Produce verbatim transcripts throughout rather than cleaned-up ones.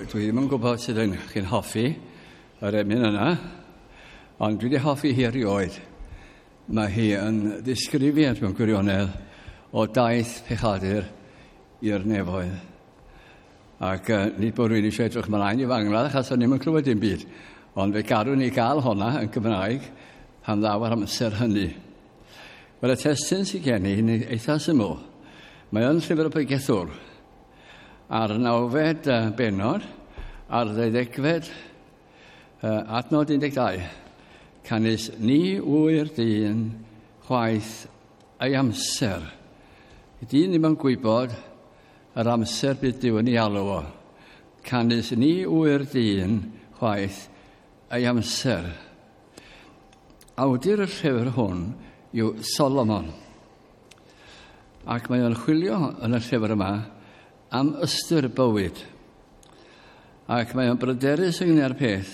Dwi ddim yn gwybod sydd yn chi'n hoffi yr emyn yna, ond dwi wedi hoffi hi erioed. Mae hi yn ddisgrifiad mewn gwirionedd o daith pechadur i'r nefoedd. Ac uh, nid bod rhywun eisiau edrych ymlaen i fangladd, achos o'n i'm yn clywed dim byd. Ond fe garwn ni gael honna yn Gymraeg pan ddaw ar amser hynny. Wel, y testun sydd gen i yn eitha syml. Mae yn Llyfr y Pregethwr. A'r nawfed bennod, a'r ddeuddegfed adnod un deg dau. Canys ni ŵyr dyn chwaith ei amser. Y dyn ddim yn gwybod yr amser bydd Duw yn ei alw o. Canys ni ŵyr dyn chwaith ei amser. Awdur y llyfr hwn yw Solomon. Ac mae o'n chwilio yn y llyfr yma am ystyr bywyd. Ac mae o'n bryderus ynglyn â'r peth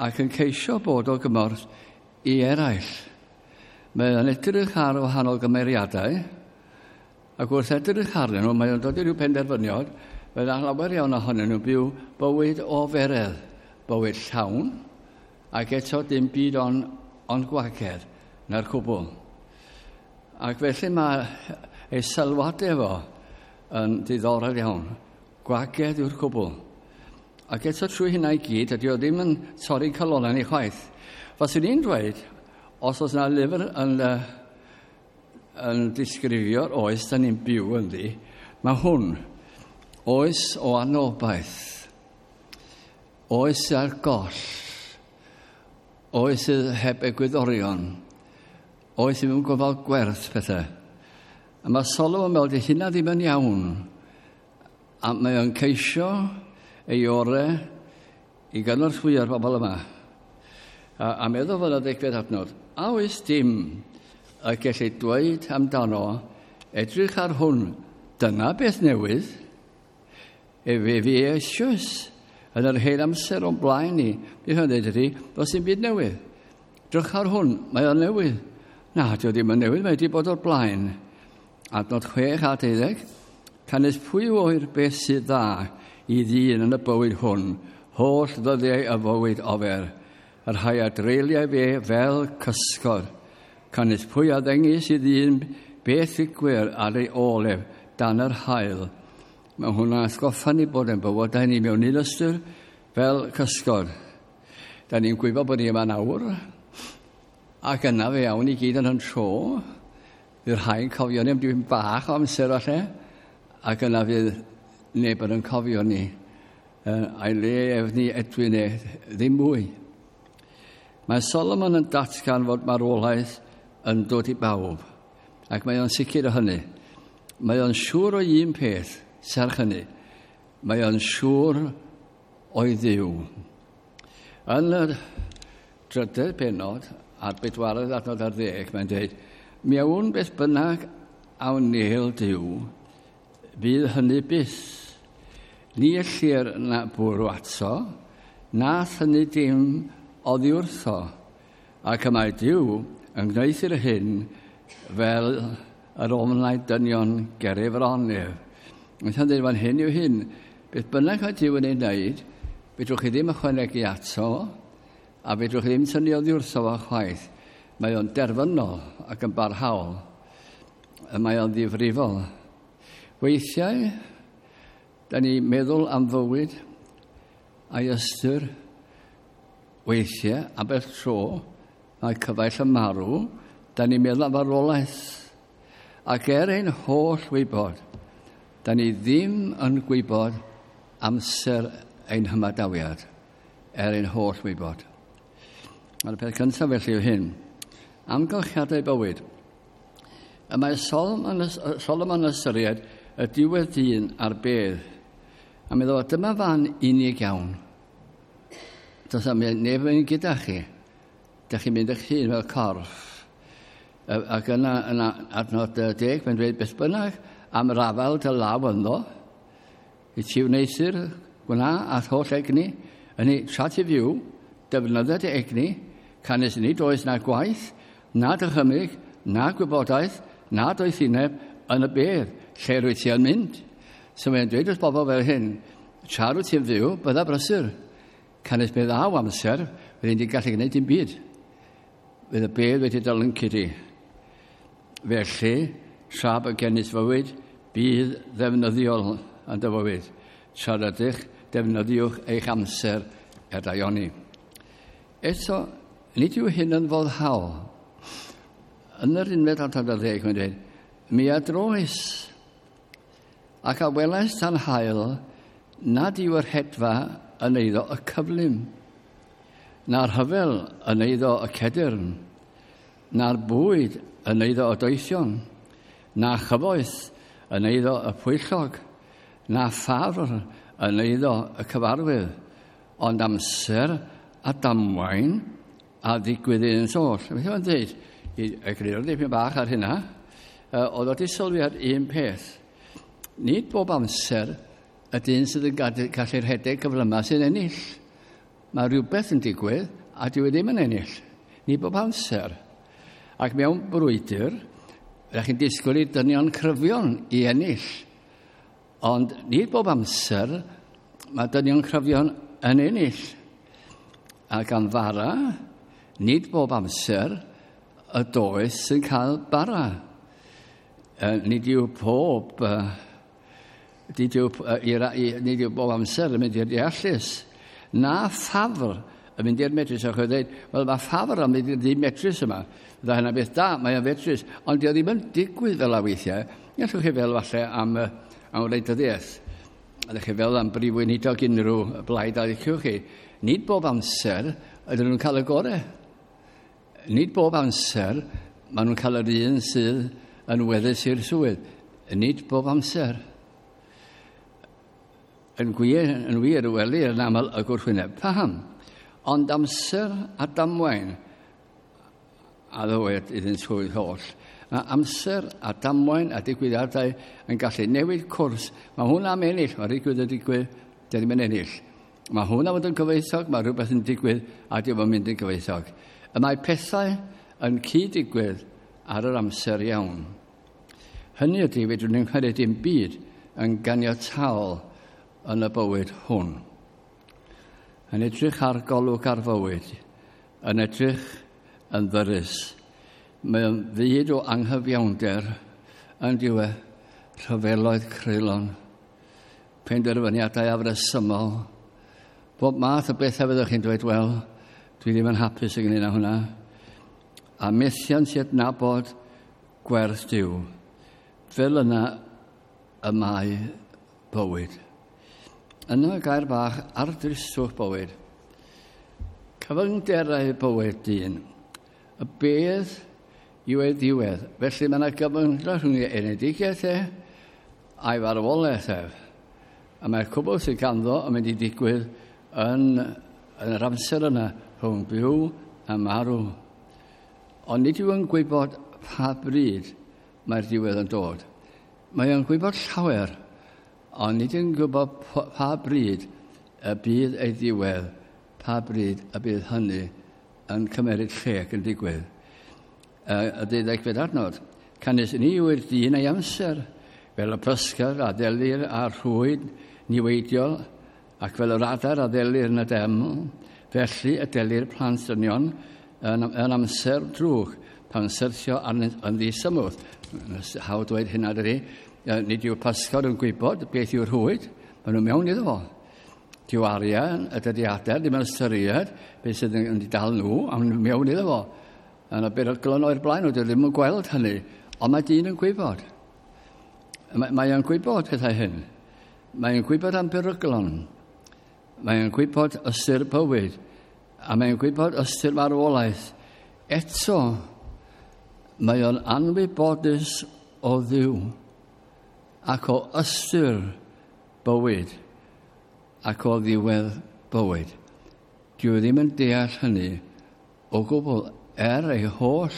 ac yn ceisio bod o gymorth i eraill. Mae o'n edrych ar wahanol gymeriadau ac wrth edrych arnyn nhw, mae o'n dod i ryw penderfyniad, fel lawer iawn ohonyn nhw byw bywyd o feredd, bywyd llawn, ac eto dim byd ond on gwagedd na'r cwbl. Ac felly mae ei sylwadau fo yn diddorol iawn. Gwagedd yw'r cwbl. Ac eto trwy hynna i gyd, ydy o ddim yn torri calonnau ni chwaith. Faswn i'n dweud, os oes yna lyfr yn, yn disgrifio'r oes da ni'n byw ynddi, mae hwn, oes o anobaith, oes ar goll, oes sydd heb egwyddorion, oes ddim yn gofal gwerth pethau. A mae Solomon yn meddwl, di hynna ddim yn iawn. A mae o'n ceisio ei orau i gynorthwyo'r bobl yma. A, a meddwl fod y degfed adnod, a oes dim y gellu dweud amdano, edrych ar hwn, dyna beth newydd, efe fi eisoes yn yr hen amser o'n blaen ni. Beth o'n dweud ydy, does dim byd newydd. Drych ar hwn, mae o'n newydd. Na, dio ddim yn newydd, mae wedi bod o'r blaen. Adnod chwech a deuddeg, canys pwy oer beth sydd dda i ddyn yn y bywyd hwn, holl ddyddiau y fywyd ofer, y rhai a dreuliau fe fel cysgod. Canys pwy a ddengys i ddyn beth ddigwydd ar ei ôl ef dan yr haul. Mae hwnna'n atgoffa ni bod yn bywydau ni mewn un ystyr fel cysgod. Da ni'n gwybod bod ni yma nawr, ac yna fe iawn i gyd yn yn tro. Fydd rhai'n cofio ni am dipyn bach o amser falle, ac yna fydd neb yn cofio ni. A'i le ef ni edwyn e ddim mwy. Mae Solomon yn datgan fod marwolaeth yn dod i bawb, ac mae o'n sicr o hynny. Mae o'n siŵr o un peth, serch hynny. Mae o'n siŵr o'i Dduw. Yn y drydedd pennod, a'r bedwaredd adnod ar ddeg, mae'n dweud, mi awn beth bynnag a wnêl Duw, fydd hynny byth. Ni ellir na bwrw ato, na thynnu dim oddi wrtho, ac y mae Duw yn gwneuthur hyn fel yr ofnau dynion ger ei fron ef. Mae'n dweud fan hyn yw hyn, beth bynnag mae Duw yn ei wneud, fedrwch chi ddim ychwanegu ato, a fedrwch chi ddim tynnu oddi wrtho fo chwaith. Mae o'n derfynol ac yn barhaol. Mae o'n ddifrifol. Weithiau, da ni'n meddwl am fywyd a'i ystyr. Weithiau, ambell tro, mae cyfaill yn marw, da ni'n meddwl am farwolaeth. Ac er ein holl wybod, da ni ddim yn gwybod amser ein hymadawiad, er ein holl wybod. Mae'r peth cyntaf felly yw hyn. Amgylchiadau bywyd. Y mae Solomon, Solomon ystyried y diwedd dyn a'r bedd. A meddwl, dyma fan unig iawn. Does am neb yn gyda chi. Dych chi'n mynd eich hun fel corff. Ac yna, yna adnod deg, mae'n dweud beth bynnag am rafael dy law ynddo. I ti wneuthur gwna a'th holl egni. Yny, tra ti fyw, defnyddia dy egni, canys nid oes na gwaith, na dychymyg, na gwybodaeth, na doethineb yn y bedd, lle rwyt ti yn mynd. So mae'n dweud wrth bobl fel hyn, Tra wyt ti'n fyw, bydda brysur. Canys mi ddaw amser, fyddi'n di gallu gwneud dim byd. Fydd y bedd wedi dylyncu di. Felly, tra bod gennyt fywyd, bydd ddefnyddiol yn dy fywyd. Tra rydych, defnyddiwch eich amser er daioni. Eto, nid yw hyn yn foddhaol. Yn yr unfed adnod ar ddeg, mae'n dweud, mi a droes ac a welais tan haul nad yw yr hedfa yn eiddo y cyflym, na'r rhyfel yn eiddo y cedyrn, na'r bwyd yn eiddo y doethion, na chyfoeth yn eiddo y pwyllog, na ffafr yn eiddo y cyfarwydd, ond amser a damwain a ddigwydd iddynt oll. Beth yw'n dweud? I egluro dipyn bach ar hynna, oedd o wedi sylwi ar un peth. Nid bob amser y dyn sydd yn gallu rhedeg cyflymau sy'n ennill. Mae rhywbeth yn digwydd a dyw e ddim yn ennill. Nid bob amser. Ac mewn brwydr, ydych chi'n disgwyl i dynion cryfion i ennill. Ond nid bob amser mae dynion cryfion yn ennill. Ac am fara, nid bob amser y doeth sy'n cael bara. Nid yw pob, nid yw, nid yw bob amser yn mynd i'r deallus. Na ffafr yn mynd i'r medrus. Ac oedd dweud, wel mae ffafr yn mynd i'r ddim medrus yma. Fydda hynna beth da, mae o'n fedrus. Ond dio ddim yn digwydd fel a weithiau. Gallwch chi fel falle am, am wleidyddiaeth. Ydych chi fel am brif weinidog unrhyw blaid a liciwch chi. Nid bob amser ydyn nhw'n cael y gorau. Nid bob amser maen nhw'n cael yr un sydd yn weddus i'r swydd. Nid bob amser. Yn gwir, yn wir, welir yn aml y gwrthwyneb. Paham? Ond amser a damwain a ddywed iddynt hwy holl. Mae amser a damwain a digwyddiadau yn gallu newid cwrs. Mae hwnna am ennill, mae digwydd yn digwydd, dy ddim yn ennill. Mae hwnna fod yn gyfoethog, mae rhywbeth yn digwydd a dim yn mynd yn gyfoethog. Y mae pethau yn cyd-digwydd ar yr amser iawn. Hynny ydy, fedrwn ni'n credu dim byd yn ganiataol yn y bywyd hwn. Yn edrych ar golwg ar fywyd, yn edrych yn ddyrus. Mae o'n fyd o anghyfiawnder yn diwedd rhyfeloedd creulon, penderfyniadau afresymol, bob math o bethau fyddwch chi'n dweud, wel, dwi ddim yn hapus ynglyn â hwnna. A methiant i adnabod gwerth Duw. Fel yna y mae bywyd. Yna gair bach ar dristwch bywyd. Cyfyngderau bywyd dyn. Y bedd yw ei ddiwedd. Felly mae yna gyfyngder rhwng ei enedigaeth e a'i farwolaeth ef. A mae'r cwbl sydd ganddo yn mynd i ddigwydd yn, yn yr amser yna rhwng byw a marw. Ond nid yw yn gwybod pa bryd mae'r diwedd yn dod. Mae o'n gwybod llawer, ond nid yw'n gwybod pa bryd y bydd ei ddiwedd, pa bryd y bydd hynny yn cymeryd lle ac yn digwydd. Y deuddegfed adnod. Canys ni yw'r dyn ei amser, fel y pysgod a ddelir a'r rhwyd niweidiol, ac fel yr adar a ddelir yn y deml, felly y delir plant dynion yn, yn amser drwg, pan syrthio arnynt yn ddisymwth. Hawdd dweud hynna dydi. Nid yw pysgod yn gwybod beth yw'r rhwyd, maen nhw mewn iddo fo. Dyw arian, y dyddiadau, ddim yn ystyried beth sydd yn dal nhw, a maen nhw mewn iddo fo. Yna beryglon o'r blaen nhw, dwi ddim yn gweld hynny, ond mae dyn yn gwybod. Mae, mae o'n gwybod pethau hyn. Mae o'n gwybod am beryglon. Mae o'n gwybod ystyr bywyd. A mae o'n gwybod ystyr marwolaeth. Eto, mae o'n anwybodus o Dduw ac o ystyr bywyd ac o ddiwedd bywyd. Dyw e ddim yn deall hynny o gwbl er ei holl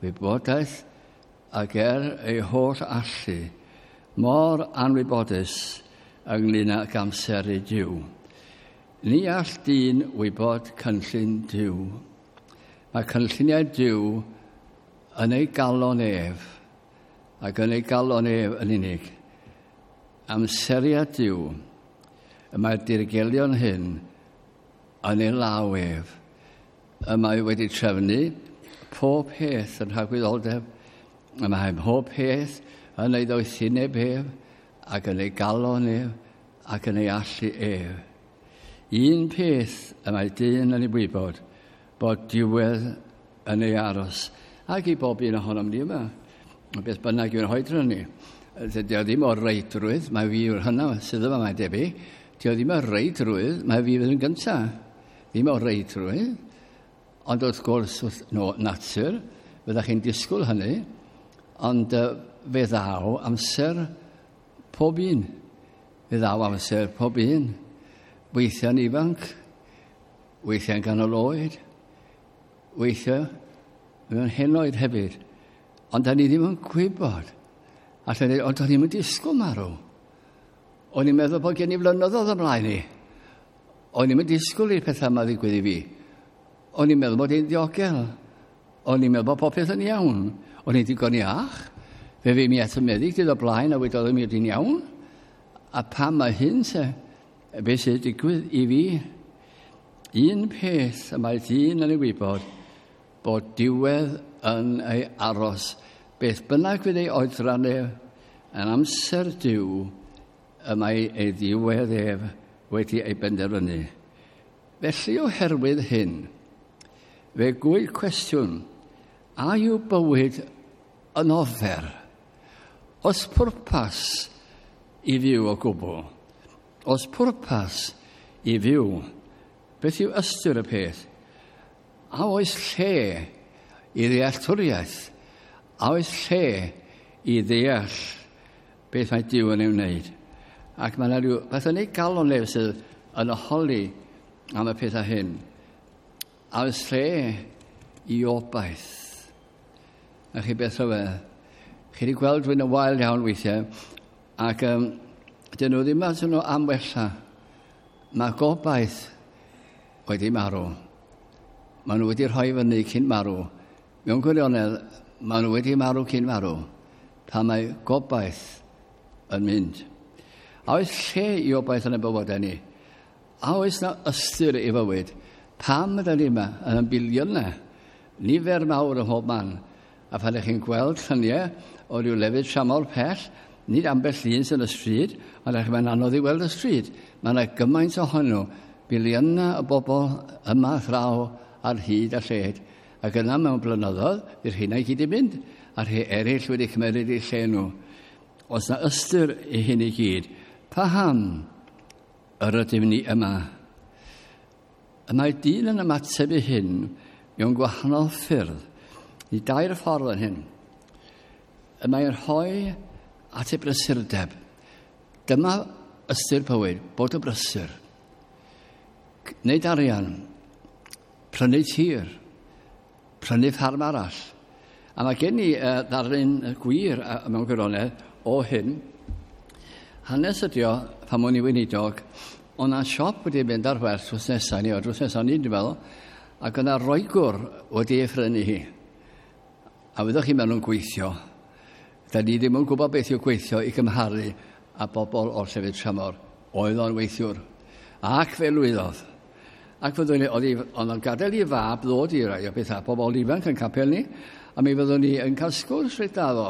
wybodaeth ac er ei holl allu, mor anwybodus ynglyn ag amseru Duw. Ni all dyn wybod cynllun Duw. Mae cynlluniau Duw yn ei galon ef, ac yn ei galon ef yn unig. Amseriad Duw, Y mae'r dirgelion hyn yn ei law ef. Y mae wedi trefnu pob peth yn rhagwyddoldeb. Y mae pob peth yn ei ddoethineb ef, ac yn ei galon ef, ac yn ei allu ef. Un peth y mae dyn yn ei wybod, bod diwedd yn ei aros. Ac i bob un ohonom ni yma, beth bynnag yw'n hoedran ni. Dydy o ddim o'r reidrwydd, mae fi yw'r hynna sydd yma, mae'n debyg. Dydy o ddim o'r reidrwydd, mae fi fydd yn gyntaf. Ddim o'r reidrwydd. Ond wrth gwrs, wrth no, natur, fyddech chi'n disgwyl hynny, ond uh, fe ddaw amser pob un. Fe ddaw amser pob un. Weithiau'n ifanc, weithiau'n ganol oed, weithiau mewn henoed hefyd. Ond da ni ddim yn gwybod. Allan ni, ond o'n i'n disgwyl marw. O'n i'n meddwl bod gen i flynyddoedd ymlaen i. O'n i'n disgwyl i'r pethau yma ddigwydd i fi. O'n i'n meddwl bod i'n ddiogel. O'n i'n meddwl bod popeth yn iawn. O'n i'n digon iach. Fe fi mi at y meddyg dydd o blaen a wedodd mi oedd i'n iawn. A pam mae hyn se, beth sydd digwydd i fi? Un peth y mae dyn yn ei wybod, bod diwedd yn ei aros. Beth bynnag fydd ei oedran ef, yn amser Duw, y mae ei ddiwedd ef wedi ei benderfynu. Felly oherwydd hyn, fe gwyl cwestiwn, a yw bywyd yn ofer? Os pwrpas i fyw o gwbl? Os pwrpas i fyw, beth yw ystyr y peth? A oes lle i ddealltwriaeth? A oes lle i ddeall beth mae Duw yn ei wneud? Ac mae yna rhyw beth yn ei galon ef sydd yn holi am y pethau hyn. A oes lle i obaith? A chi beth rhyfedd? Chi wedi gweld rhywun yn wael iawn weithiau, ac um, dyn nhw ddim at nhw am wella. Mae gobaith wedi marw. Maen nhw wedi rhoi fyny cyn marw. Mewn gwirionedd, maen nhw wedi marw cyn marw, pan mae gobaith yn mynd. A oes lle i obaith yn y bywydau ni? A oes na ystyr i fywyd? Pam ydyn ni yma yn y biliynau? Nifer mawr ym mhob man. A pan ydych chi'n gweld lluniau o ryw lefydd tramor pell, nid ambell un sy'n y stryd, ond ydych mae'n anodd i weld y stryd. Mae yna gymaint ohonyn nhw, biliynau o bobl yma thraw ar hyd a lled. Ac yna mewn blynyddoedd, i'r rheina i gyd i mynd, a rhai eraill wedi cymeryd eu lle nhw. Os na ystyr i hyn i gyd, paham yr ydym ni yma? Y mae dyn yn ymateb i hyn mewn gwahanol ffyrdd. I dair ffordd yn hyn. Y mae'n rhoi at ei brysurdeb. Dyma ystyr bywyd, bod y brysur. Wneud arian, prynu tir, prynu ffarm arall. A mae gen i uh, ddarlun gwir uh, mewn gwirionedd o hyn. Hanes ydi o, pan o'n i weinidog, o'n na siop wedi mynd ar werth drws nesaf ni, o drws nesaf ni, dwi'n meddwl, ac o'na Roegwr wedi ei phrynu hi. A fyddwch chi mewn nhw'n gweithio. Da ni ddim yn gwybod beth yw gweithio i gymharu â bobl o'r llefydd tramor. Oedd o'n weithiwr. Ac fe lwyddodd. Ac fyddwn ni, oedd o'n gadael i fab ddod i rai o bethau, pobl ifanc yn capel ni, a mi fyddwn ni yn cael sgwrs reit dda fo.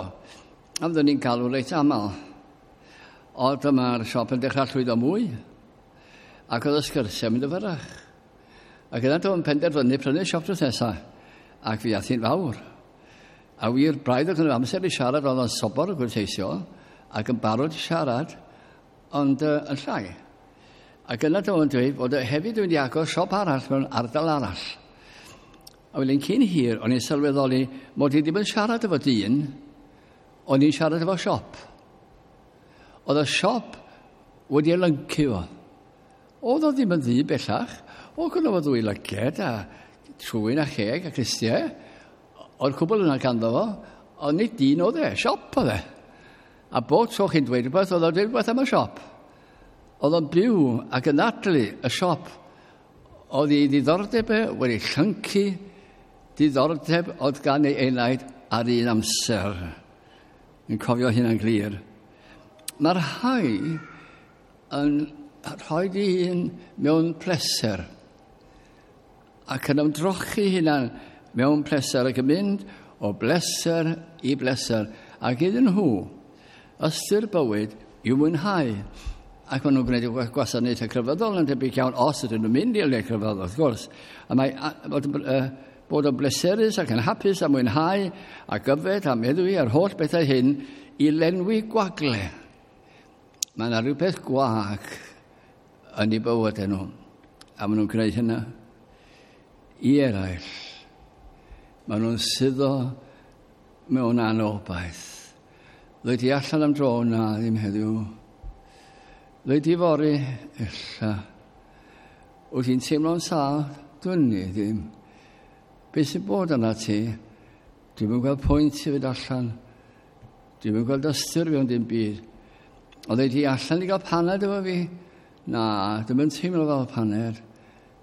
A fyddwn ni'n galw reit aml. Ond dyma'r siop yn dechrau llwyddo mwy. Ac oedd y sgyrsiau mynd yn fyrrach. Ac yna dwi'n penderfynu prynu siop drws nesaf. Ac fi ath hi'n fawr. A wir braidd oedd yn amser i siarad, oedd o'n sobor o gwrteisio, ac yn barod i siarad, ond uh, yn llai. Ac yna dwi'n dweud bod hefyd wedi agor siop arall mewn ardal arall. A wedyn cyn hir, o'n i'n sylweddoli mod i ddim yn siarad efo dyn, o'n i'n siarad efo siop. Oedd y siop wedi ei lyncu fo. Oedd o ddim yn ddu bellach. Oedd gynno fo ddwy lyged a trwyn a cheg a clustiau. Oedd cwbl yna ganddo fo, ond nid dyn oedd e, siop oedd e. A bob tro chi'n dweud rhywbeth, oedd o'n dweud rhywbeth am y siop. Oedd o'n byw ac yn adlu y siop. Oedd ei ddiddordeb e wedi llyncu, diddordeb oedd gan ei enaid ar un amser. Yn cofio hynna'n glir. Mae'r rhai yn rhoi ei hun mewn pleser ac yn ymdrochi hunan mewn pleser ac yn mynd o bleser i bleser. Ac iddyn nhw, ystyr bywyd i'w mwynhau. Ac maen nhw'n gwneud y gwasanaethau crefyddol yn debyg iawn, os ydyn nhw'n mynd i'r le crefyddol, wrth gwrs. A mae bod, uh, bod yn bleserus ac yn hapus a mwynhau ac yfed a meddwi a'r holl bethau hyn i lenwi gwagle. Mae yna rhywbeth gwag yn eu bywydau nhw. A maen nhw'n gwneud hynna i eraill. Maen nhw'n suddo mewn anobaith. Ddweud i allan am dro, na, ddim heddiw. Ddweud i fory, ella. Wyt ti'n teimlo'n sâl? Dwi'n ni ddim. Be sy'n bod yna ti? Dwi'm yn gweld pwynt i fynd allan. Dwi'm yn gweld ystyr mewn dim byd. Ond ddweud i allan i gael paned efo fi? Na, dwi'm yn teimlo fel paned.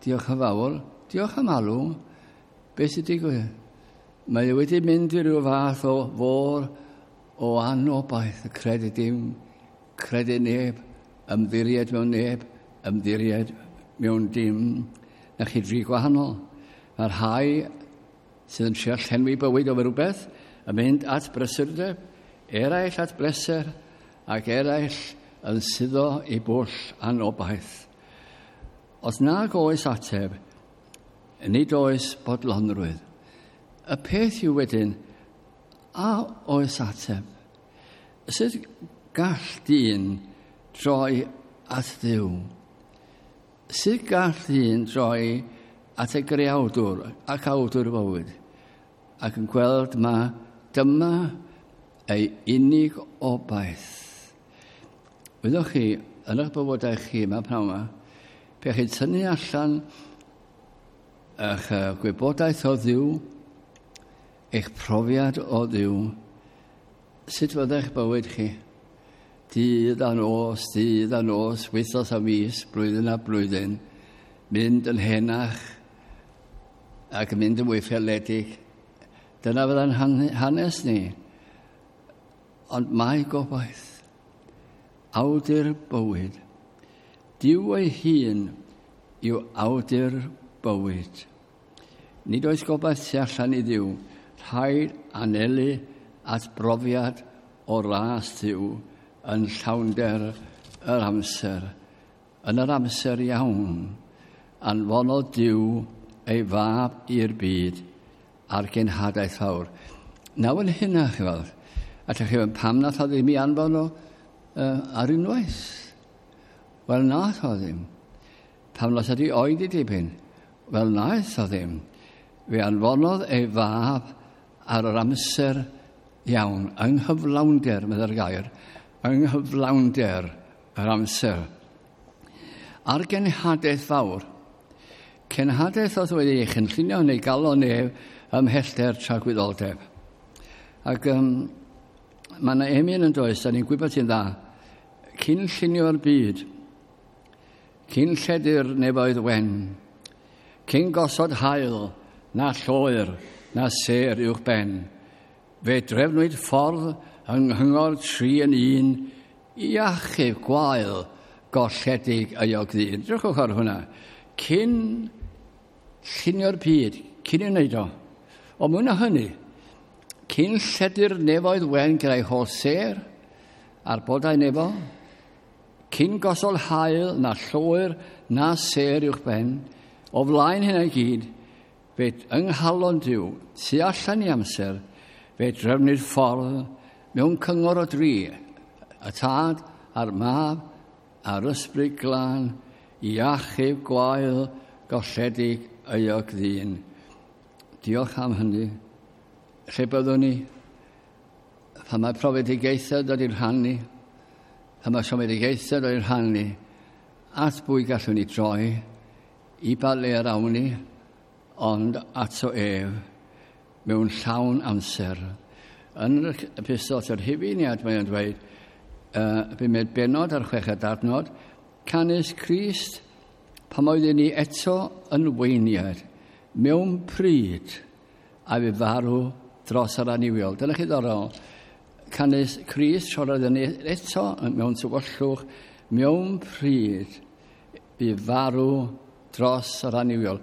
Diolch yn fawr. Diolch am alw. Be sy'n digwydd? Mae e wedi mynd i ryw fath o fôr o anobaith, y credu dim, credu neb, ymddiried mewn neb, ymddiried mewn dim. Na chi dri gwahanol. Mae'r rhai sydd yn trio llenwi bywyd o rhywbeth yn mynd at brysurdeb, eraill at bleser, ac eraill yn suddo i bwll anobaith. Os nag oes ateb, nid oes bodlonrwydd. Y peth yw wedyn, a oes ateb? Sut gall dyn droi at Dduw? Sut gall dyn droi at y greawdwr ac awdwr bywyd ac yn gweld ma dyma ei unig obaith? Wyddoch chi, yn eich bywydau chi yma pnawn yma, pe chi'n tynnu allan eich gwybodaeth o Dduw, eich profiad o Dduw, sut fyddai'ch bywyd chi? Dydd a nos, dydd a nos, wythnos a mis, blwyddyn a blwyddyn, mynd yn henach ac yn mynd yn fwy ffaeledig. Dyna fydda'n hanes ni. Ond mae gobaith, awdur bywyd. Duw ei hun yw awdur bywyd. Nid oes gobaith tu allan i Dduw. Rhaid anelu at brofiad o ras Duw yn llawnder yr amser. Yn yr amser iawn, anfonodd Duw ei fab i'r byd ar genhadaeth fawr. Nawr yn hynna, chi weld. A chi weld, pam nath o ddim i anfon o uh, ar unwaith? Wel, nath o ddim. Pam nath o di oedi dipyn? Wel, nath o ddim. Fe anfonodd ei fab ar yr amser iawn, yng nghyflawnder, meddai'r gair, yng nghyflawnder yr amser. Ar genhadaeth fawr, cenhadaeth oedd wedi ei chynllunio neu galon nef ymhellter tragwyddoldeb. Ac um, mae yna emyn yn does, da ni'n gwybod ti'n dda, cyn llunio'r byd, cyn lledu'r nefoedd wen, cyn gosod haul, na lloer, na sêr uwch ben, fe drefnwyd ffordd yng nghyngor tri yn un i achub gwael golledig euog ddyn. Drychwch ar hwnna. Cyn llunio'r byd, cyn ei wneud o. Ond mwy na hynny, cyn lledu'r nefoedd wen gyda'i holl sêr a'r bodau nefol, cyn gosod haul na lloer na sêr uwch ben, o flaen hynna i gyd, fe yng nghalon Duw, tu allan i amser, fe drefnwyd ffordd mewn cyngor o dri, y tad a'r mab a'r ysbryd glân, i achub gwael golledig euog ddyn. Diolch am hynny. Lle byddwn ni? Pan mae profedigaethau dod i'n rhan ni, pan mae siomedigaethau dod i'n rhan ni, at bwy gallwn ni droi, i ba le yr awn ni, ond ato ef, mewn llawn amser. Yn yr epistol at yr Rhufeiniaid mae'n dweud, uh, bumed bennod ar chweched adnod, canys Crist, pan oeddwn ni eto yn weiniad, mewn pryd, a fe farw dros yr annuwiol. Dyna chi ddorol. Canys Crist, tra oeddwn ni eto mewn tywyllwch, mewn pryd, Bu farw dros yr annuwiol.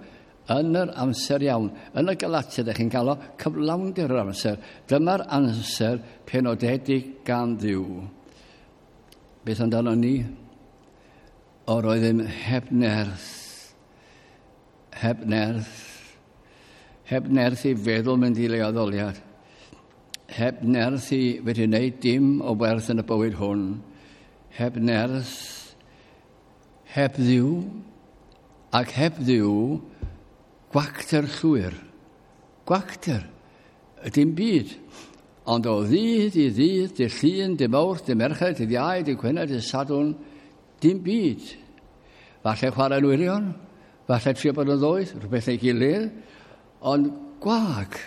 Yn yr amser iawn. Yn y Galatiaid, ydych chi'n cael o cyflawnder yr amser. Dyma'r amser penodedig gan Dduw. Beth amdano ni? O'r oeddem heb nerth. Heb nerth. Heb nerth i feddwl mynd i le addoliad. Heb nerth i wedi wneud dim o werth yn y bywyd hwn. Heb nerth. Heb Dduw. Ac heb Dduw, gwacter llwyr. Gwacter. Dim byd. Ond o ddydd i ddydd, dydd Llun, dydd Mawrth, dydd Mercher, dydd Iau, dydd Gwener, dydd Sadwrn, dim byd. Falle chwarae'n wirion, falle trio bod yn ddoeth, rhywbeth neu gilydd, ond gwag,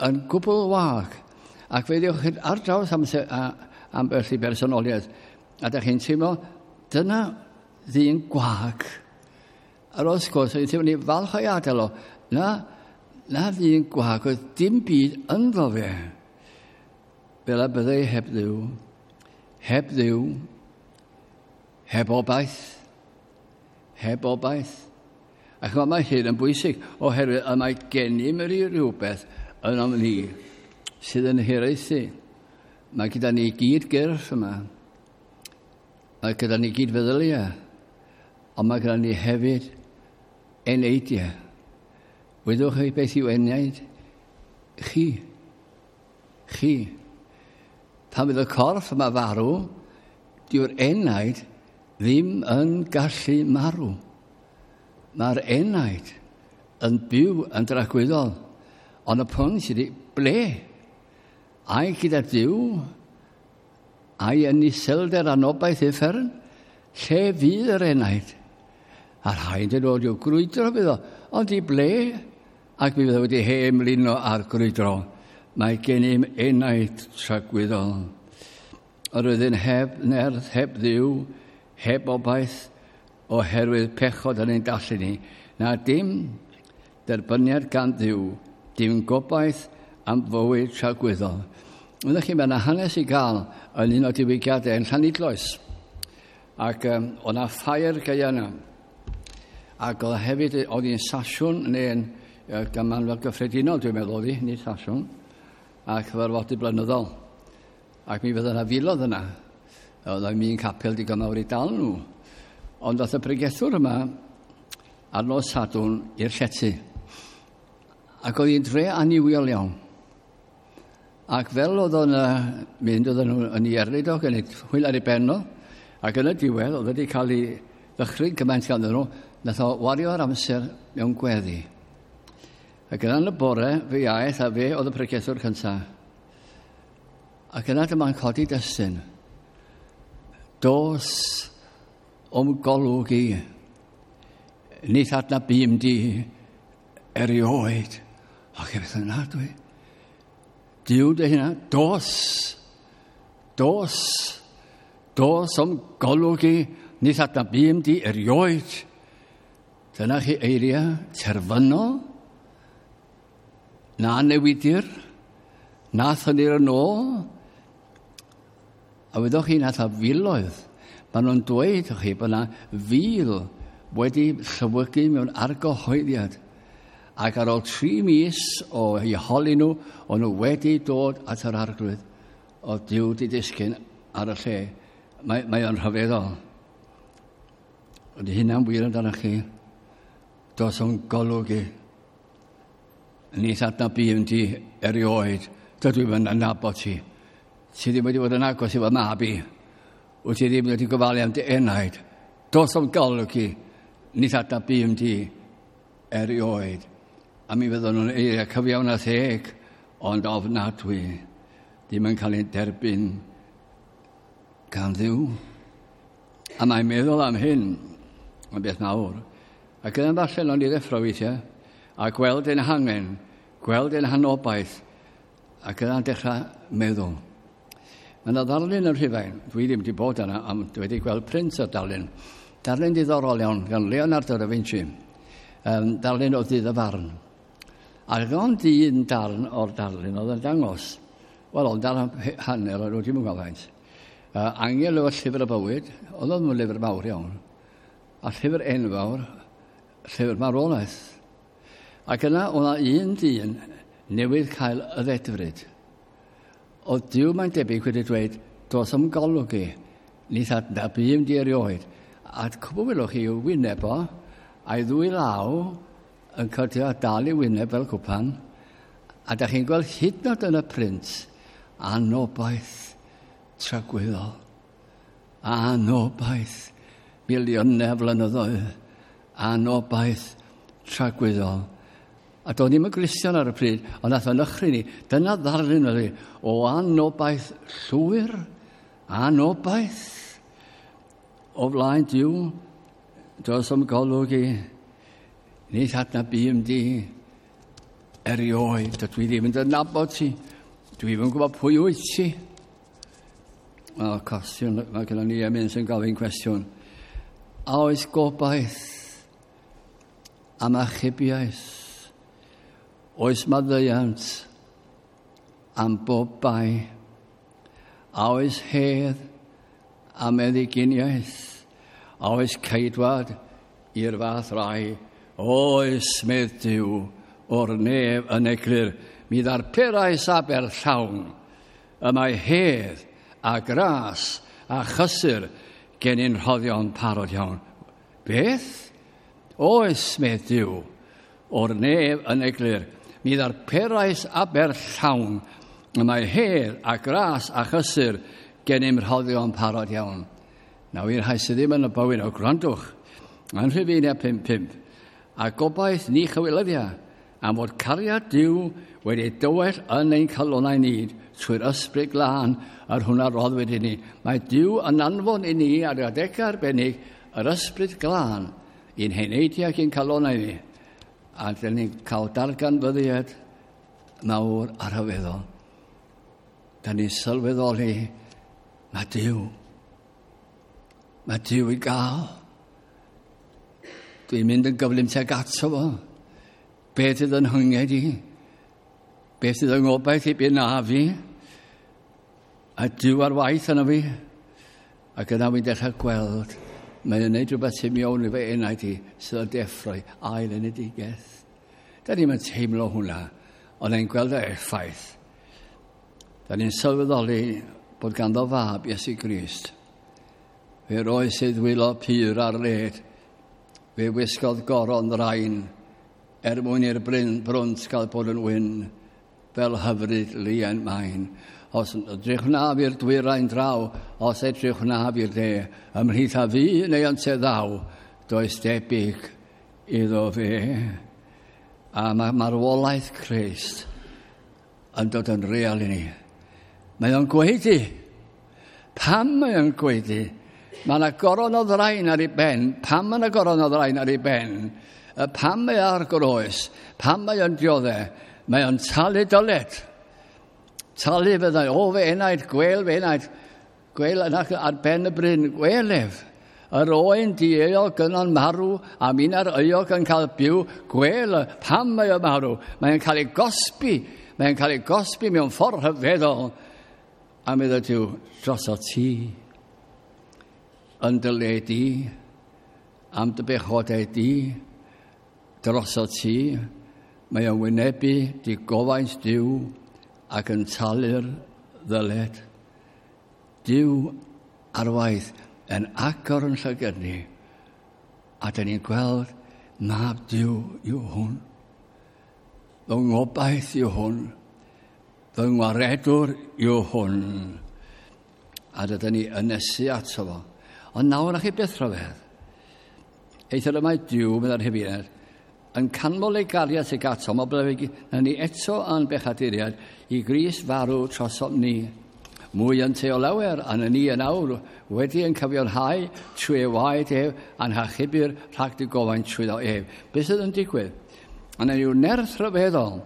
yn gwbl wag. Ac fe ddewch chi ar draws amser, a, ambell i bersonoliaeth, a da chi'n teimlo, dyna ddyn gwag. Ar ôl sgwrs, o'n i'n teimlo ni falch o'i adael o. Na, na ddyn gwag, oedd dim byd ynddo fe. Fel a byddai heb Dduw, heb Dduw, heb obaith, heb obaith. Ac mae hyn yn bwysig, oherwydd y mae gennym yr rhywbeth yn o'n ni sydd yn hiraethu. Mae gyda ni gyd gyrff yma. Mae gyda ni gyd feddyliau. Ond mae gyda ni hefyd eneidiau. Wyddwch chi beth yw enaid? Chi. Chi. Pan fydd y corff yma farw, dyw'r enaid ddim yn gallu marw. Mae'r enaid yn byw yn dragwyddol. Ond y pwynt ydy, ble? Ai gyda Duw? Ai yn iselder anobaith uffern? Lle fydd yr enaid? A rhaid yn dod i'w grwydro fydd o. Ond i ble? Ac mi fydd o wedi hemlino ar grwydro. Mae gennym enaid tragwyddol. Yr oedd yn heb nerth, heb Dduw, heb obaith, oherwydd pechod yn ein dallu ni. Na dim derbyniad gan Dduw, dim gobaith am fywyd tragwyddol. Wyddoch chi, mae yna hanes i gael yn un o diwygiadau yn Llanidloes. Ac um, o'na ffair gaea yna. Ac oedd hefyd, oedd hi'n sasiwn, neu'n uh, gymanfa gyffredinol, dwi'n meddwl oedd hi, nid sasiwn, a cyfarfodydd blynyddol. Ac mi fydda yna filoedd yna. Oedd o'n un capel digon mawr i dal nhw. Ond ddath y pregethwr yma ar nos Sadwrn i'r llety. Ac oedd hi'n dre annuwiol iawn. Ac fel oedd o'n mynd, oedden nhw yn ei erlid o, yn ei hwyl ar ei ben o, ac yn y diwedd, oedd wedi cael ei ddychryn gymaint ganddyn nhw, nath o wario'r amser mewn gweddi. Ac yna yn y bore, fe aeth a fe oedd y pregethwr cyntaf. Ac yna dyma'n codi destun. Dos o'm golwg i, nid adnabûm di erioed. Ac e beth yna dwi. Duw dy hynna, dos, dos, dos o'm golwg i, nid adnabûm di erioed. Dyna chi eiriau terfynol, na newidir, na thynir yn ôl. A wyddoch chi nath a filoedd. Maen nhw'n dweud chi bod yna fil wedi llywygu mewn argyhoeddiad. Ac ar ôl tri mis o eu holi nhw, o'n nhw wedi dod at yr Arglwydd. Oedd Duw di disgyn ar y lle. Mae, mae o'n rhyfeddol. Ydy hynna'n wir amdanoch chi? Dos o'n golwg i. Nid adnabûm di erioed. Dydw i'm yn adnabod ti. Ti ddim wedi bod yn agos i fy mab i. Wyt ti ddim wedi gofalu am dy enaid. Dos o'm golwg i. Nid adnabûm di erioed. A mi fydden nhw'n eiriau cyfiawn a theg, ond ofnadwy. Ddim yn cael ei derbyn gan Dduw. A mae'n meddwl am hyn yn beth mawr. Ac yna'n falle o'n i ddeffro weithiau, a gweld ein hangen, gweld ein hanobaith, ac yna'n dechrau meddwl. Mae yna ddarlun yn Rhufain, dwi ddim wedi bod yna, ond dwi wedi gweld print o'r darlun. Darlun diddorol iawn gan Leonardo da Vinci. Um, darlun o ddydd y farn. Ac ond un darn o'r darlun oedd yn dangos. Wel, ond darn hanner o'n nhw, dwi'm yn gwybod faint. Uh, angel efo llyfr y bywyd, oedd o'n lyfr mawr iawn. A llyfr enfawr, llyfr marwolaeth. Ac yna, oedd yna un dyn newydd cael y ddedfryd. Oedd Duw mae'n debyg wedi dweud, dos am golwg i, ni adnabûm di erioed. A cwbl welwch chi yw wyneb o, a'i ddwy law yn cydio a dal i wyneb fel cwpan, a da chi'n gweld hyd yn oed yn y print, anobaith tragwyddol. Anobaith miliynau o flynyddoedd. Anobaith tragwyddol. A do'n i'm yn Gristion ar y pryd, ond nath o'n nychry ni. Dyna ddarlun oedd hi o anobaith llwyr, anobaith o flaen Duw, dos o'm golwg i, ni adnabûm di erioed, dydw i ddim yn dy nabod ti, dwi ddim yn gwybod pwy wyt ti. Wel, cwestiwn, mae gennym ni emyn sy'n gofyn cwestiwn. A oes gobaith am achubiaeth? Oes maddeuant am bob bai? A oes hedd am meddyginiaeth? A oes ceidwad i'r fath rai? Oes, medd Duw, o'r nef yn eglur, mi ddarperais aberth llawn. Y mae hedd a gras a chysur gennym rhoddion parod iawn. Beth? Oes, medd Duw, o'r nef yn eglur, mi ddarperais aberth llawn. Y mae hedd a gras a chysur gennym rhoddion parod iawn. Nawr i'r rhai sydd ddim yn y bywyd o gwrandwch, yn Rhufeiniau pump pump, a gobaith ni chywilyddia, am fod cariad Duw wedi dywell yn ein calonnau ni trwy'r ysbryd glân yr hwnna roddwyd i ni. Mae Duw yn anfon i ni ar adegau arbennig yr ysbryd glân i'n heneidiau ac i'n calonnau ni. A dyn ni'n cael darganfyddiad mawr a rhyfeddol. Da ni'n sylweddoli mae Duw. Mae Duw i gael. Dwi'n mynd yn gyflym tuag ato fo. Beth sydd yn hynged i? Beth sydd yn ngobaith i byd na fi? A Duw ar waith yna fi. Ac yna fi'n dechrau gweld mae'n gwneud rhywbeth sy'n mewn i fy enaid i sydd yn deffroi ail enedigaeth. Da ni'n teimlo hwnna, ond ni'n gweld y effaith. Da ni'n sylweddoli bod ganddo fab Iesu Grist. Fe roes ei ddwylo pur ar led. Fe wisgodd goron ddrain er mwyn i'r bryn brwnt gael bod yn wyn fel hyfryd lien main. Os edrych wnaf i'r dwyrain draw, os edrych wnaf i'r de, ymhlith a fi neu ynte ddaw, does debyg iddo fe. A mae marwolaeth Crist yn dod yn real i ni. Mae o'n gweidi. Pam mae o'n gweidi? Mae yna goron o ddrain ar ei ben. Pam mae yna goron o ddrain ar ei ben? Pam mae ar groes? Pam mae o'n dioddef? Mae o'n talu dyled. Talu fyddai, o fe enaid, gwel fe enaid, gwel yna ar ben y bryn, gwel ef. Yr oen dieuog yno'n marw, a minna'r euog yn cael byw, gwel pam mae o'n marw. Mae'n cael ei gosbi, mae'n cael ei gosbi mewn ffordd rhyfeddol. A meddwl Duw, droso ti, yn dy le di, am dy bechodau di, droso ti, mae o'n wynebu di gofaint Duw ac yn talu'r ddyled. Duw ar waith yn agor yn llygad ni, a dyn ni'n gweld mab Duw yw hwn. Fy ngobaith yw hwn. Fy ngwaredwr yw hwn. A dydyn ni yn nesu ato fo. Ond nawr na chi beth rhyfedd. Eithr y mae Duw, meddai'r Rhufeiniaid, yn canmol ei gariad tuag atom, oblegid na ni eto a'n bechaduriad i Grist farw trosom ni. Mwy yn te o lawer, a ni yn awr wedi yn cyfiawnhau trwy ei waed ef a'n hachubir rhag digofaint trwyddo ef. Beth sydd yn digwydd? Yna yw nerth rhyfeddol,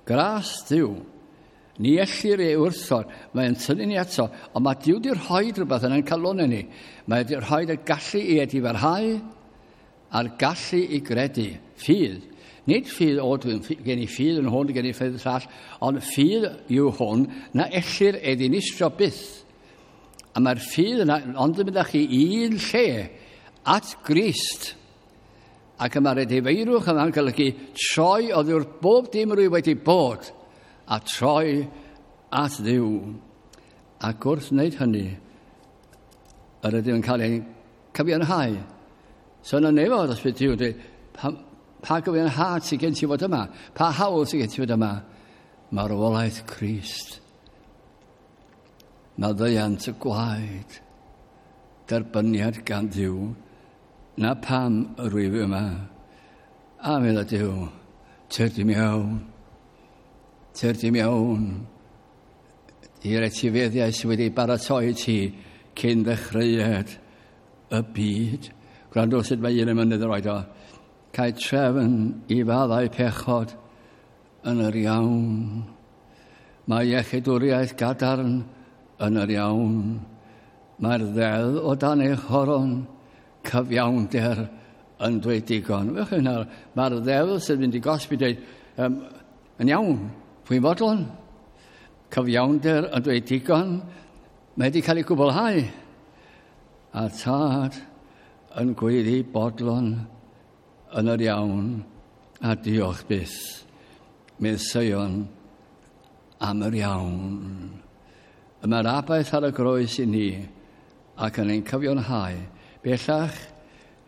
gras Duw. Ni ellir ei wrthod, mae'n tynnu ni ato, ond mae Duw wedi rhoi rhywbeth yn ein calonnau ni. Mae wedi rhoi y gallu i edifarhau a'r gallu i gredu. Ffydd. Nid ffydd, o, dwi'n gen i ffydd yn hwn, gen i ffydd llall, ond ffydd yw hwn na ellir ei ddinistrio byth. A mae'r ffydd yna, ond yn mynd â chi un lle, at Grist. Ac y mae'r edifeirwch yma'n golygu troi oddi wrth bob dim rwy wedi bod a troi at Dduw. Ac wrth wneud hynny, yr ydym yn cael ein cyfiawnhau. So yna nefod os bydd Duw yn dweud, pa, pa gyfiawnhad sydd gen ti fod yma? Pa hawl sydd gen ti fod yma? Marwolaeth Crist. Maddeuant y gwaed. Derbyniad gan Dduw. Na pam yr wyf yma. A medda Duw, tyrd i mewn. Tyrd i mewn. I'r etifeddiau sydd wedi baratoi ti cyn ddechreuad y byd. Gwrando sut mae un emynydd yn rhoid o. Cael trefn i faddau pechod yn yr iawn. Mae iechydwriaeth gadarn yn yr iawn. Mae'r ddeddf o dan ei choron, cyfiawnder yn dweud digon. Wch chi nawr, mae'r ddeddf sydd mynd i gosbi dweud, um, yn iawn, pwy'n fodlon? Cyfiawnder yn dweud digon, mae wedi cael ei gwblhau. A tad yn gweiddi bodlon yn yr iawn, a diolch byth, medd Seion am yr iawn. Y mae'r abaeth ar y groes i ni ac yn ein cyfiawnhau. Bellach,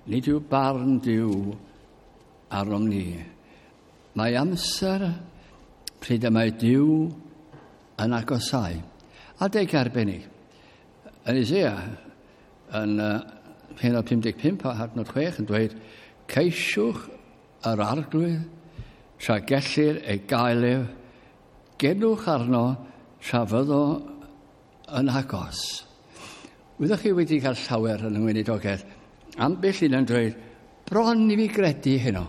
nid yw barn Duw arnom ni. Mae amser pryd y mae Duw yn agosau. Adeg arbennig. Yn Isaiah, yn uh, pennod pum deg pump a adnod chwech yn dweud, ceisiwch yr arglwydd tra gellir ei gael ef, genwch arno tra fyddo yn agos. Wyddoch chi wedi cael llawer yn y weinidogaeth, ambell un yn dweud, bron i fi gredu heno.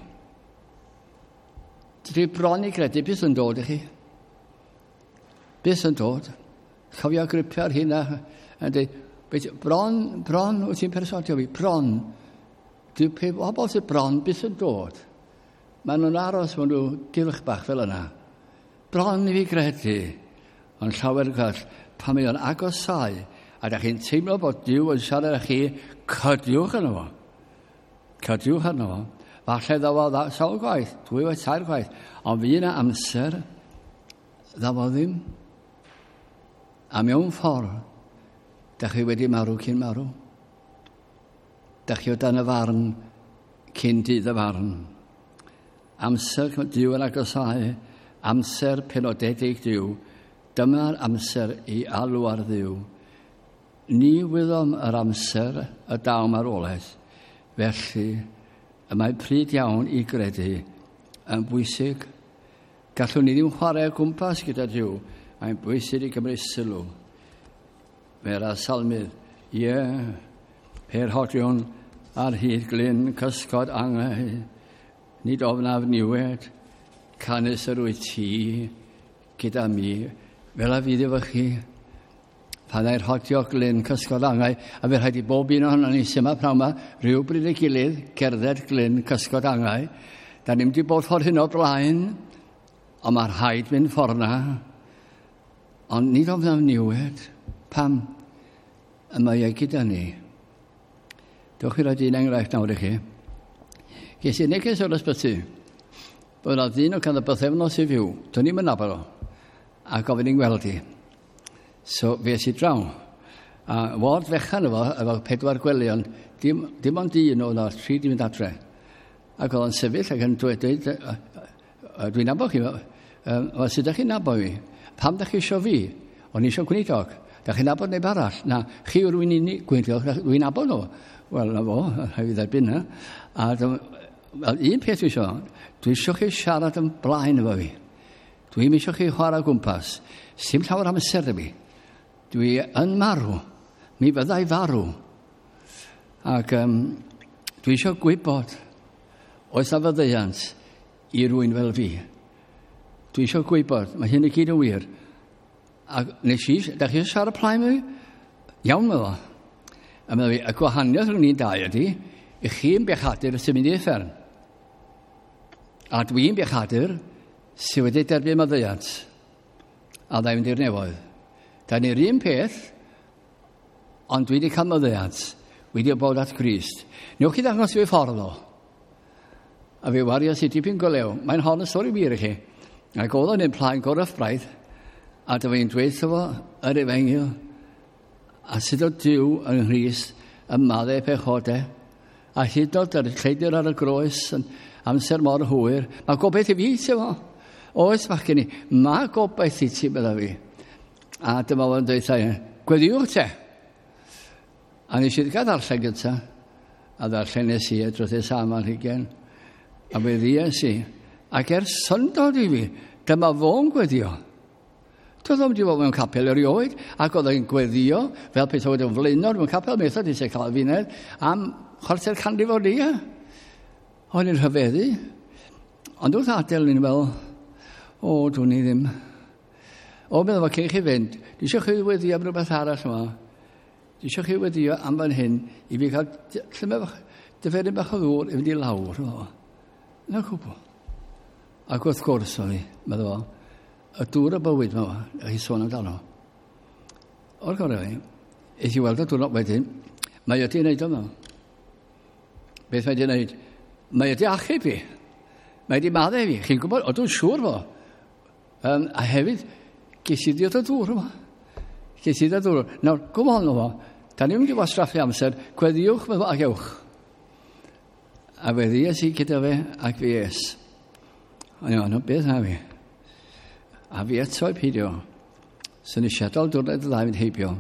Dwi bron i gredu, beth yn dod i chi? Beth yn dod? Cofio gripio ar hynna yn dweud, bron, bron, wyt ti'n perswadio fi, bron. Dwi pobl sydd bron, beth yn dod? Maen nhw'n aros, maen nhw gylch bach fel yna. Bron i fi gredu, ond llawer gwell, pan mae o'n agosau, a da chi'n teimlo bod Duw yn siarad â chi, cydiwch arno fo. Cydiwch arno fo. Falle ddaw o sawl gwaith, dwy waith, tair gwaith, ond fydd yna amser, ddaw o ddim. A mewn ffordd, da chi wedi marw cyn marw. Da chi o dan y farn cyn dydd y farn. Amser Duw yn agosau, amser penodedig Duw, dyma'r amser i alw ar Dduw. Ni wyddom yr amser y daw marwolaeth, felly y mae pryd iawn i gredu yn bwysig. Gallwn ni ddim chwarae o gwmpas gyda Duw, mae'n bwysig i gymryd sylw. Mae'r salmydd, ie, pe'r hodion ar hyd glyn cysgod angau, nid ofnaf niwed, canys yr wyt ti gyda mi, fel a fydd efo chi. Pan ai'r hodio glyn cysgod angau, a fe rhaid i bob un ohono ni sy'n yma pnawn yma, rhywbryd ei gilydd, cerdded glyn cysgod angau. Da ni'n wedi bod ffordd hyn o blaen, ond mae rhaid mynd ffordd na. Ond nid ofnaf niwed, pam y mae e gyda ni. Dewch i roed un enghraifft nawr i chi. Ges i neges o'r ysbyty. Bod yna ddyn o ganddo bythefnos i fyw. Do'n i'm yn nabod o. A gofyn i'n gweld i. So fe es i draw. A ward fechan efo, efo pedwar gwely, ond dim, dim ond un oedd o, tri di mynd adre. Ac oedd o'n sefyll ac yn dweud, dwi'n nabod chi, wel, sut ydych chi'n nabod fi? Pam ydych chi isio fi? O'n i isio gweinidog. Dach chi'n nabod neb arall? Na, chi yw'r un unig gweinidog, dwi'n nabod nhw. Wel, na fo, rhaid fi dderbyn na. A wel, un peth dwi isio, dwi isio chi siarad yn blaen efo fi. Dwi'n isio chi chwarae o gwmpas. Sim llawer amser da fi. Dwi yn marw. Mi fyddai farw. Ac um, dwi eisiau gwybod oes na faddeuant i rywun fel fi. Dwi eisiau gwybod, mae hyn i gyd yn wir. A nes i, da chi eisiau siarad plaen fi? Iawn, meddwl. A meddwl fi, y gwahaniaeth rhwng ni'n dau ydy, i chi'n bechadur sy'n mynd i uffern. A dwi'n bechadur sydd wedi derbyn maddeuant. A dda i fynd i'r nefoedd. Da ni'r un peth, ond dwi wedi cael maddeuant. wedi bod at Grist. Newch chi ddangos i fi ffordd o. A fe warias i dipyn go lew. Mae'n hon y stori wir i chi. Ac oedd o'n un plaen gorff braidd, a dyma i'n dweud fo yr efengyl, a sut o Duw yng Nghrist yn maddau pechodau, a hyd yn oed yr lleidr ar y groes yn amser mor hwyr. Mae gobaith i fi, ti'n fo? Oes, bachgen i, mae gobaith i ti, bydda fi. A dyma fo'n dweud, gweddiwch te. A nes i gael ddarllen gyntaf, a ddarllen nes i dros am ar hugain, a fe ddies i. Ac ers syndod i fi, dyma fo'n gweddio. Doedd o'm wedi bod mewn capel erioed, ac oedd o'n gweddio, fel peth oedd o'n flaenor mewn capel Methodist y Calfinaidd, am chwarter canrif o lia. O'n i'n rhyfeddu. Ond wrth adael ni'n fel, o, dwn i ddim. O, meddwl fo, cyn chi fynd, dwi eisiau chi weddio am rhywbeth arall yma. Dwi eisiau chi weddio am fan hyn i fi cael llymed bach, diferyn bach o ddŵr i fynd i lawr. O. Na cwbl. Ac wrth gwrs oedd hi, meddwl fo, y dŵr y bywyd yma, a chi sôn amdano. O'r gorau fi, eith i weld y dŵr wedyn, mae wedi wneud o. Beth mae wedi wneud? Mae wedi achub fi. Mae wedi maddau fi. Chi'n gwybod, o, dwi'n siŵr fo. Um, a hefyd, ges i ddiod o dŵr yma. Ges i ddiod o dŵr. Nawr, come on fo. Da ni'n mynd i wastraffu amser, gweddiwch fo ac ewch. A fe ddies i gyda fe ac fi es. O'n i'n meddwl, beth na fi? A fi eto i peidio. So nes i adael diwrnod y ddau fynd heibio.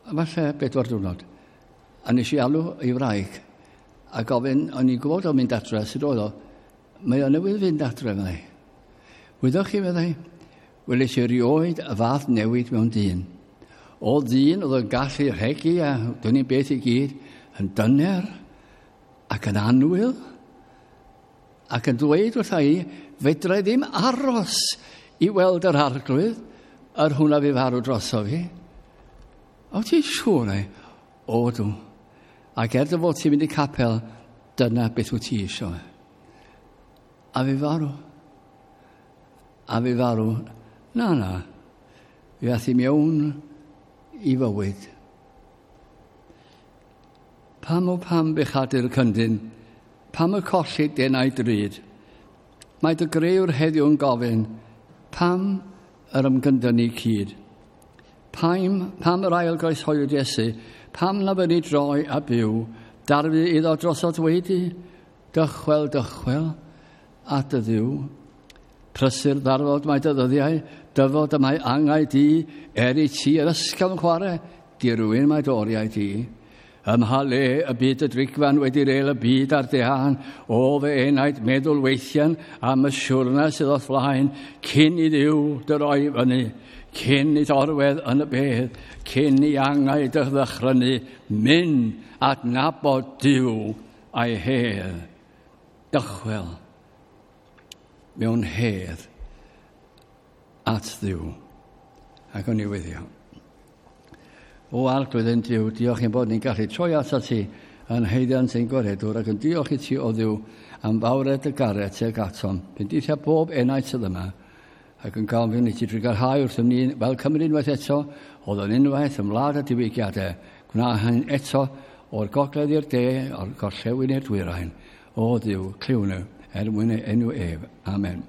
A falle bedwar diwrnod. A nes i alw i wraig a gofyn, o'n i'n gwybod o'n mynd adre, sut oedd o? Mae o newydd fynd adre, meddai. Wyddoch chi, meddai, weles i erioed y fath newid mewn dyn. O ddyn oedd yn gallu rhegi a dwn i'n beth i gyd, yn dyner ac yn annwyl, ac yn dweud wrtha i, fedra i ddim aros i weld yr arglwydd, yr hwnna fi farw droso fi. O, ti'n siŵr, ei? O, dw. Ac er dy fod ti'n mynd i capel, dyna beth wyt ti eisiau. A fi farw. A fi farw. Na, na. Fi ath i mewn i fywyd. Pam o pam bechadu'r cyndyn, pam y colli denau drud, mae dy grëwr heddiw'n gofyn, pam yr ymgyndynnu cyd? Pam, pam yr ail groeshoelwyd Iesu, pam na fyny droi a byw, darfu iddo drosodd wedi, dychwel, dychwel, at y Dduw. Prysur ddarfod mae dy ddyddiau, dyfod y mae angau di, er i ti yr ysgafn chwarae, dirwyn mae doriau di. Ym mha le y byd y drigfan wedi reil y byd ar dehan, o fy enaid meddwl weithian am y siwrna sydd o'th flaen, cyn i Dduw dy roi fyny, cyn i orwedd yn y bedd, cyn i angau dy ddychrynu, mynd adnabod Duw a'i hedd. Dychwel mewn hedd at Dduw. Ac o'n i weddio. O Arglwydd ein Duw, diolch i'n bod ni'n gallu troi atat ti yn haeddiant ein gwaredwr ac yn diolch i ti o Dduw am fawredd dy gariad tuag atom. Bendithia bob enaid sydd yma ac yn gofyn i ti drugarhau wrthym ni fel Cymru unwaith eto, oedd yn unwaith ym wlad y diwygiadau. Gwna hyn eto o'r gogledd i'r de, o'r gorllewin i'r dwyrain. O Dduw, clyw nhw, er mwyn ei enw ef. Amen.